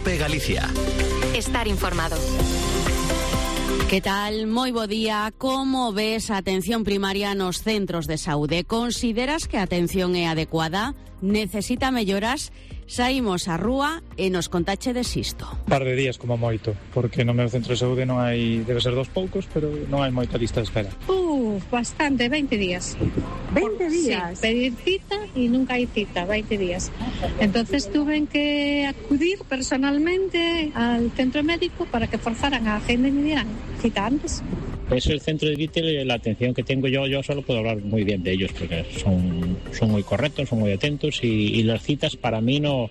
COPE Galicia. Estar informado. Que tal? Moi bo día. Como ves a atención primaria nos centros de saúde? Consideras que a atención é adecuada? Necesita melloras? Saímos á rúa e nos contache de xisto. Un par de días como moito, porque no meu centro de saúde non hai, debe ser dos poucos, pero non hai moita lista de espera. Bastante, 20 días. 20 días? Sí, pedir cita y nunca hay cita, 20 días. Entonces tuve que acudir personalmente al centro médico para que forzaran a agenda y me dieran cita antes. Pues el centro de Vitel, la atención que tengo yo solo puedo hablar muy bien de ellos porque son muy correctos, son muy atentos y las citas para mí no,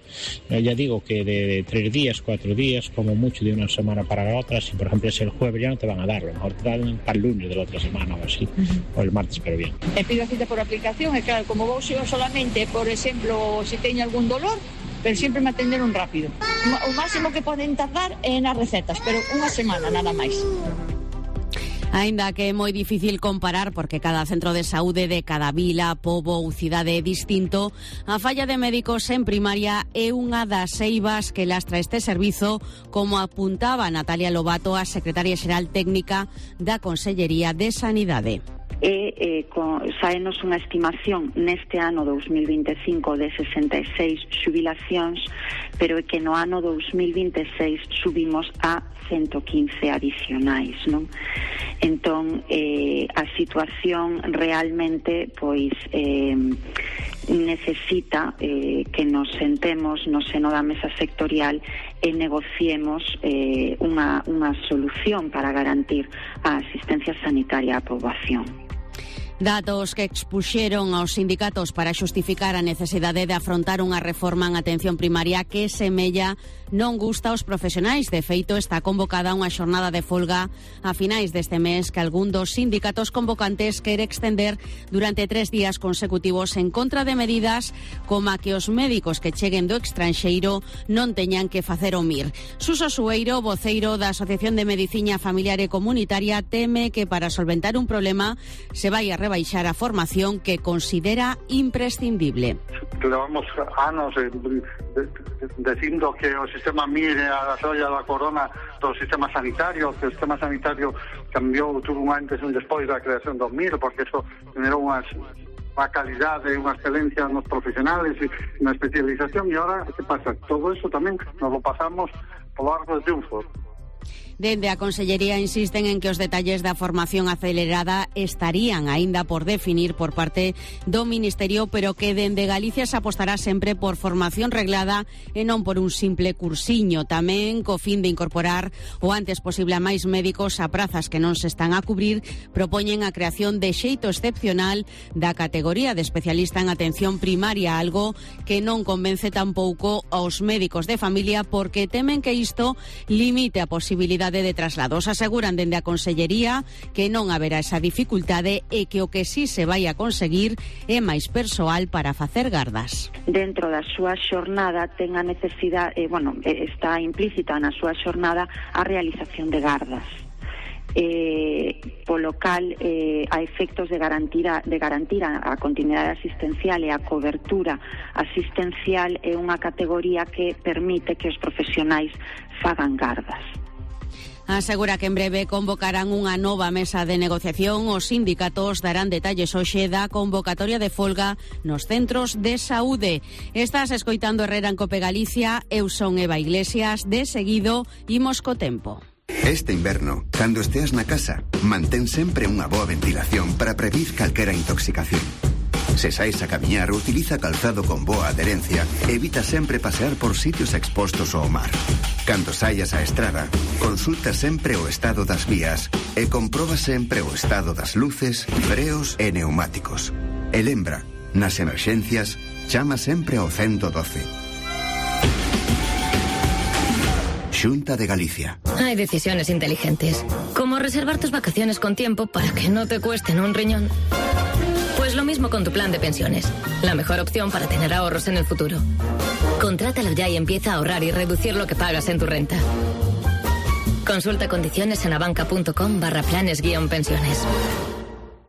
ya digo que de 3 días, 4 días, como mucho de una semana para la otra, si por ejemplo es el jueves ya no te van a dar, a lo mejor te dan para el lunes de la otra semana o así, o el martes, pero bien. Pido cita por aplicación e claro, como vou yo solamente, por exemplo, se teño algún dolor, pero sempre me atenderon rápido. O máximo que poden tardar é nas recetas, pero unha semana nada máis. Aínda que é moi difícil comparar porque cada centro de saúde de cada vila, pobo ou cidade é distinto, a falla de médicos en primaria é unha das eivas que lastra este servizo, como apuntaba Natalia Lobato, a secretaria xeral técnica da Consellería de Sanidade. Saenos unha estimación neste ano 2025 de 66 xubilacións, pero é que no ano 2026 subimos a 115 adicionais, non? Entón, a situación realmente, pois, necesita que nos sentemos no seno da mesa sectorial e negociemos unha solución para garantir a asistencia sanitaria á poboación. Datos que expuxeron aos sindicatos para xustificar a necesidade de afrontar unha reforma en atención primaria que semella non gusta aos profesionais. De feito, está convocada unha xornada de folga a finais deste mes que algún dos sindicatos convocantes quere extender durante 3 días consecutivos en contra de medidas como a que os médicos que cheguen do estranxeiro non teñan que facer o MIR. Suso Sueiro, voceiro da Asociación de Medicina Familiar e Comunitaria, teme que para solventar un problema se vai a rebaixar a formación que considera imprescindible. Levamos anos dicindo que o sistema MIR é a xoia da corona do sistema sanitario, que o sistema sanitario cambiou, tuvo un antes e un despois da creación do MIR, porque eso generou unha calidade e unha excelencia nos profesionales e na especialización, e ahora, que pasa? Todo eso tamén nos lo pasamos polo arco de triunfo. Dende a Consellería insisten en que os detalles da formación acelerada estarían aínda por definir por parte do Ministerio, pero que dende Galicia se apostará sempre por formación reglada e non por un simple cursiño. Tamén co fin de incorporar o antes posible a máis médicos a prazas que non se están a cubrir, propoñen a creación de xeito excepcional da categoría de especialista en atención primaria, algo que non convence tampouco aos médicos de familia porque temen que isto limite a posibilidade de traslados. Aseguran dende a Consellería que non haberá esa dificultade e que o que sí se vai a conseguir é máis persoal para facer gardas. Dentro da súa xornada ten a necesidade, está implícita na súa xornada a realización de gardas. Polo cal a efectos de garantir a continuidade asistencial e a cobertura asistencial é unha categoría que permite que os profesionais fagan gardas. Asegura que en breve convocarán unha nova mesa de negociación. Os sindicatos darán detalles hoxe da convocatoria de folga nos centros de saúde. Estás escoitando Herrera en Cope Galicia. Eu son Eva Iglesias. De seguido, imos co tempo. Este inverno, cando esteas na casa, mantén sempre unha boa ventilación para prevenir calquera intoxicación. Se sais a camiñar, utiliza calzado con boa adherencia e evita sempre pasear por sitios expostos ao mar. Cando saias á estrada, consulta sempre o estado das vías e comproba sempre o estado das luces, freos e neumáticos. E lembra, nas emerxencias, chama sempre ao 112. Xunta de Galicia. Hay decisiones inteligentes, como reservar tus vacaciones con tiempo para que no te cuesten un riñón. Pues lo mismo con tu plan de pensiones. La mejor opción para tener ahorros en el futuro. Contrátalo ya y empieza a ahorrar y reducir lo que pagas en tu renta. Consulta condiciones en abanca.com/planes-pensiones.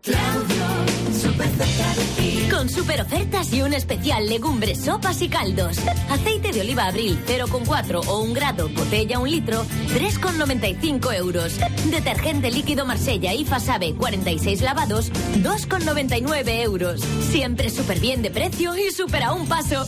Claudio, súper cerca de ti. Con super ofertas y un especial legumbres, sopas y caldos. Aceite de oliva Abril 0,4 o 1 grado, botella 1 litro, 3,95 euros. Detergente líquido Marsella y Fasabe 46 lavados, 2,99 euros. Siempre súper bien de precio y súper a un paso.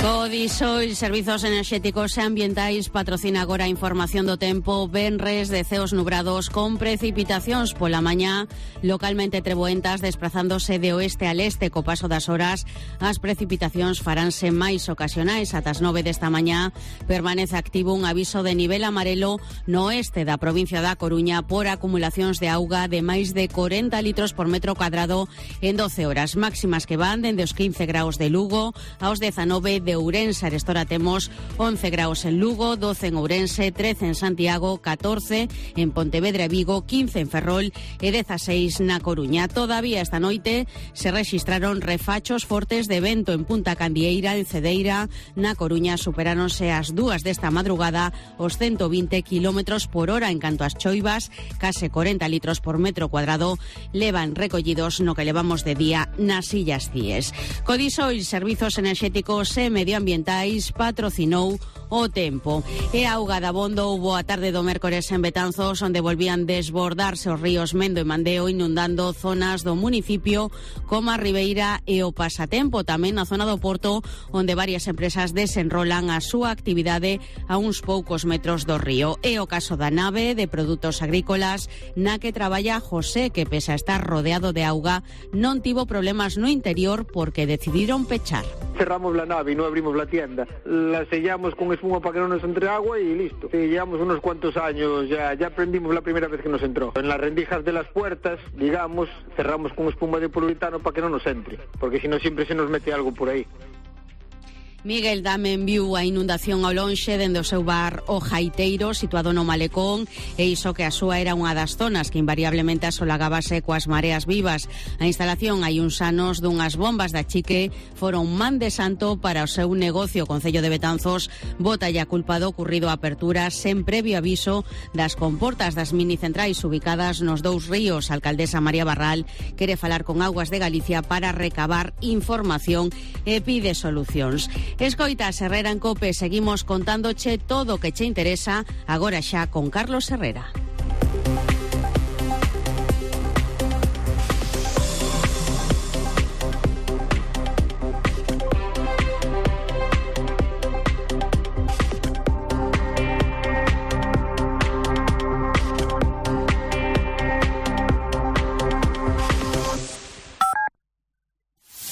Codisoil, servizos enerxéticos e ambientais, patrocina agora a información do tempo. Venres de ceos nubrados con precipitacións pola mañá, localmente treboentas, desplazándose de oeste a leste co paso das horas. As precipitacións faránse máis ocasionais. Ata as 9 desta mañá permanece activo un aviso de nivel amarelo no oeste da provincia da Coruña por acumulacións de auga de máis de 40 litros por metro cuadrado en 12 horas. Máximas que van dende os 15 graus de Lugo aos 19 de Ourense. Arestora temos 11 graus en Lugo, 12 en Ourense, 13 en Santiago, 14 en Pontevedra e Vigo, 15 en Ferrol e 16 na Coruña. Todavía esta noite se rexistraron refachos fortes de vento en Punta Candieira, en Cedeira, na Coruña superáronse as 2 desta madrugada os 120 km por hora. En canto ás choivas, case 40 litros por metro cuadrado levan recollidos no que levamos de día nas Illas Cíes. Codisoil, servizos enerxéticos e medioambientais, patrocinou o tempo. E a auga da Bondo houbo a tarde do mércores en Betanzos, onde volvían desbordarse os ríos Mendo e Mandeo, inundando zonas do municipio como a Ribeira e o Pasatempo. Tamén na zona do Porto, onde varias empresas desenrolan a súa actividade a uns poucos metros do río. É o caso da nave de produtos agrícolas na que traballa José, que pese a estar rodeado de auga, non tivo problemas no interior porque decidiron pechar. Cerramos la nave y no abrimos la tienda. La sellamos con espuma para que no nos entre agua y listo. Sí, llevamos unos cuantos años, ya aprendimos la primera vez que nos entró. En las rendijas de las puertas, digamos, cerramos con espuma de poliuretano para que no nos entre, porque si no siempre se nos mete algo por ahí. Miguel tamén viu a inundación ao lonxe dende o seu bar O Jaiteiro, situado no Malecón, e iso que a súa era unha das zonas que invariablemente asolagábase coas mareas vivas. A instalación hai uns anos dunhas bombas da Chique foron man de santo para o seu negocio. O Concello de Betanzos bota a culpa do ocurrido a apertura sen previo aviso das comportas das minicentrais ubicadas nos dous ríos. A alcaldesa María Barral quere falar con Augas de Galicia para recabar información e pide solucións. Escoitas Herrera en COPE, seguimos contándoche todo o que che interesa, agora xa con Carlos Herrera.